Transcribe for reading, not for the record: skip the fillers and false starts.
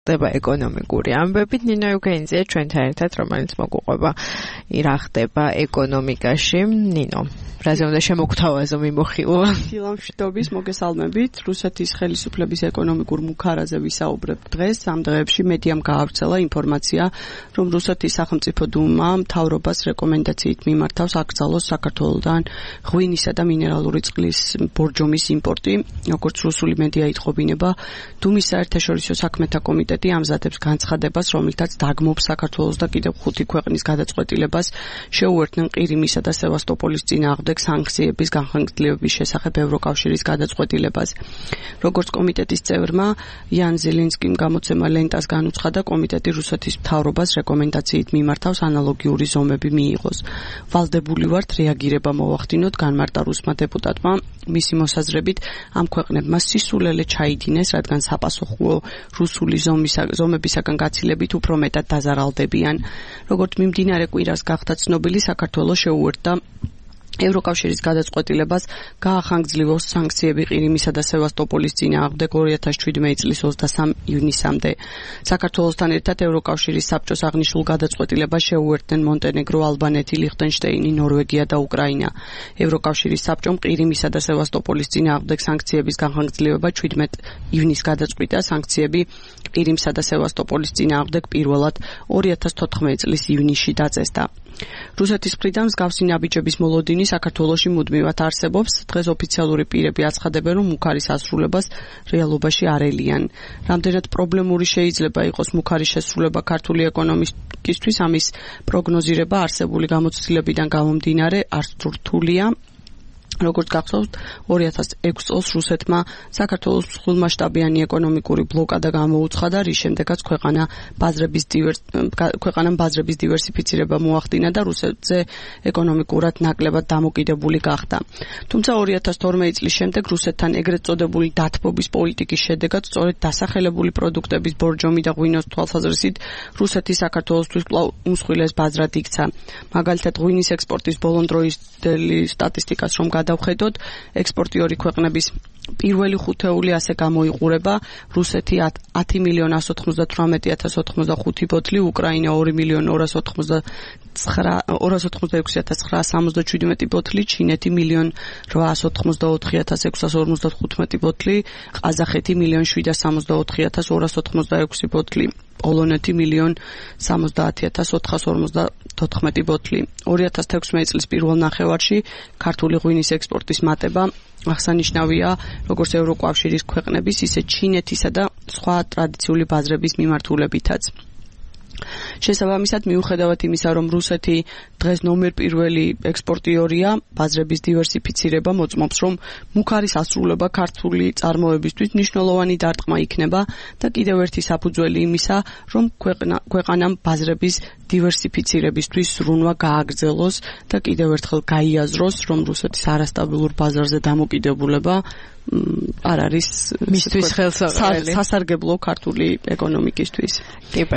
ხდება ეკონომიკური ამბებით. ნინო იუგენიძე ჩვენთან ერთად, რომელიც მოგუყვება რა ხდება ეკონომიკაში. ნინო, რაზე უნდა შემოგთავაზო მიმოხილვა? ფილმშტობის მოგესალმებით. რუსეთის ხელისუფლების ეკონომიკურ მუქარაზე ვისაუბრებ დღეს. ამ დღეებში მედიამ გაავრცელა ინფორმაცია, რომ რუსეთის სახელმწიფო დუმა მთავრობას რეკომენდაციით მიმართავს აკრძალოს საქართველოდან ღვინისა და მინერალური წყლის ბორჯომის იმპორტი. როგორც რუსული მედია იტყობინება, დუმის საერთაშორისო საქმეთა კომიტეტი ამზადებს განცხადებას, რომელთაც დაგმობს საქართველოს და კიდევ 5 ქვეყნის გადაწყვეტილებას შეუერთდნენ ყირიმისა და სევასტოპოლის წინააღმდეგ სანქციების განხორციელების შესახებ ევროკავშირის გადაწყვეტილებას. როგორც კომიტეტის წევრმა იან ზელენსკიმ გამოცემა ლენტას განუცხადა, კომიტეტი რუსეთის მთავრობას რეკომენდაციით მიმართავს ანალოგიური ზომები მიიღოს. ვალდებული ვართ რეაგირება მოვახდინოთ, განმარტა რუსმა დეპუტატმა. მისი მოსაზრებით ამ ქვეყნებმა სისულელე ჩაიდინეს, რადგან საპასუხო რუსული ზომებისაგან გაცილებით უფრო მეტად დაზარალდებიან. როგორც მიმდინარე კვირას გახდა ცნობილი, საქართველოს შეუერთდა ევროკავშირის გადაწყვეტილებას გაახანგრძლივოს სანქციები ყირიმისა და სევასტოპოლის წინააღმდეგ 2017 წლის 23 ივნისამდე. საქართველოსთან ერთად ევროკავშირის საბჭოს აღნიშნულ გადაწყვეტილებას შეუერთდნენ მონტენეგრო, ალბანეთი, ლიხტენშტეინი, ნორვეგია და უკრაინა. ევროკავშირის საბჭომ ყირიმისა და სევასტოპოლის წინააღმდეგ სანქციების განხორციელება 17 ივნისს გადაწყვიტა. სანქციები ყირიმსა და სევასტოპოლის წინააღმდეგ პირველად 2014 წლის ივნისში დაწესდა. რუსეთის მხრიდან მსგავსი ნაბიჯების მოლოდინი საქართველოში მუდმივად არსებობს. დღეს ოფიციალური პირები აცხადებენ, რომ მუქარის ასრულებას რეალობაში არ ელიან. რამდენად პრობლემური შეიძლება იყოს მუქარის შესრულება ქართული ეკონომიკისთვის, ამის პროგნოზირება არსებული გამოცდილებიდან გამომდინარე არც რთულია. როგორც გახსოვთ, 2006 წელს რუსეთმა საქართველოს მსხვილმასშტაბიანი ეკონომიკური ბლოკადა გამოუცხადა, რის შემდეგაც ქვეყანამ ბაზრების დივერსიფიცირება მოახდინა და რუსეთზე ეკონომიკურად ნაკლებად დამოკიდებული გახდა. თუმცა 2012 წლის შემდეგ რუსეთთან ეგრეთ წოდებული დათბობის პოლიტიკის შედეგად სწორედ დასახელებული პროდუქტების ბორჯომი და ღვინოს თვალსაზრისით რუსეთი საქართველოსთვის კვლავ უმსხვილეს ბაზრად იქცა. მაგალითად, ღვინის ექსპორტის ბოლონდროისდელი სტატისტიკას რომ გადავხედოთ, ექსპორტიორი ქვეყნების პირველი ხუთეული ასე გამოიყურება: რუსეთი 10.198.085 ბოთლი, უკრაინა 2.286.977 ბოთლი, ჩინეთი 1.884.655 ბოთლი, ყაზახეთი 1.764.286 ბოთლი, პოლონეთი 1.070.454 ბოთლი. 2016 წლის პირველ ნახევარში ქართული ღვინის ექსპორტის მატება აღსანიშნავია როგორც ევროკავშირის ქვეყნების, ისე ჩინეთისა და სხვა ტრადიციული ბაზრების მიმართულებითაც. შესაბამისად, მიუხედავად იმისა, რომ რუსეთი დღეს ნომერ პირველი ექსპორტიორია, ბაზრების დივერსიფიცირება მოწმობს, რომ მუქარის ასრულება ქართული წარმოებისთვის მნიშვნელოვანი დარტყმა იქნება და კიდევ ერთი საფუძველი იმისა, რომ ქვეყანამ ბაზრების დივერსიფიცირებისთვის ზრუნვა გააგრძელოს და კიდევ ერთხელ გაიაზროს, რომ რუსეთის არასტაბილურ ბაზარზე დამოკიდებულება არ არის მისთვის ხელსაყრელი სასარგებლო ქართული ეკონომიკისთვის.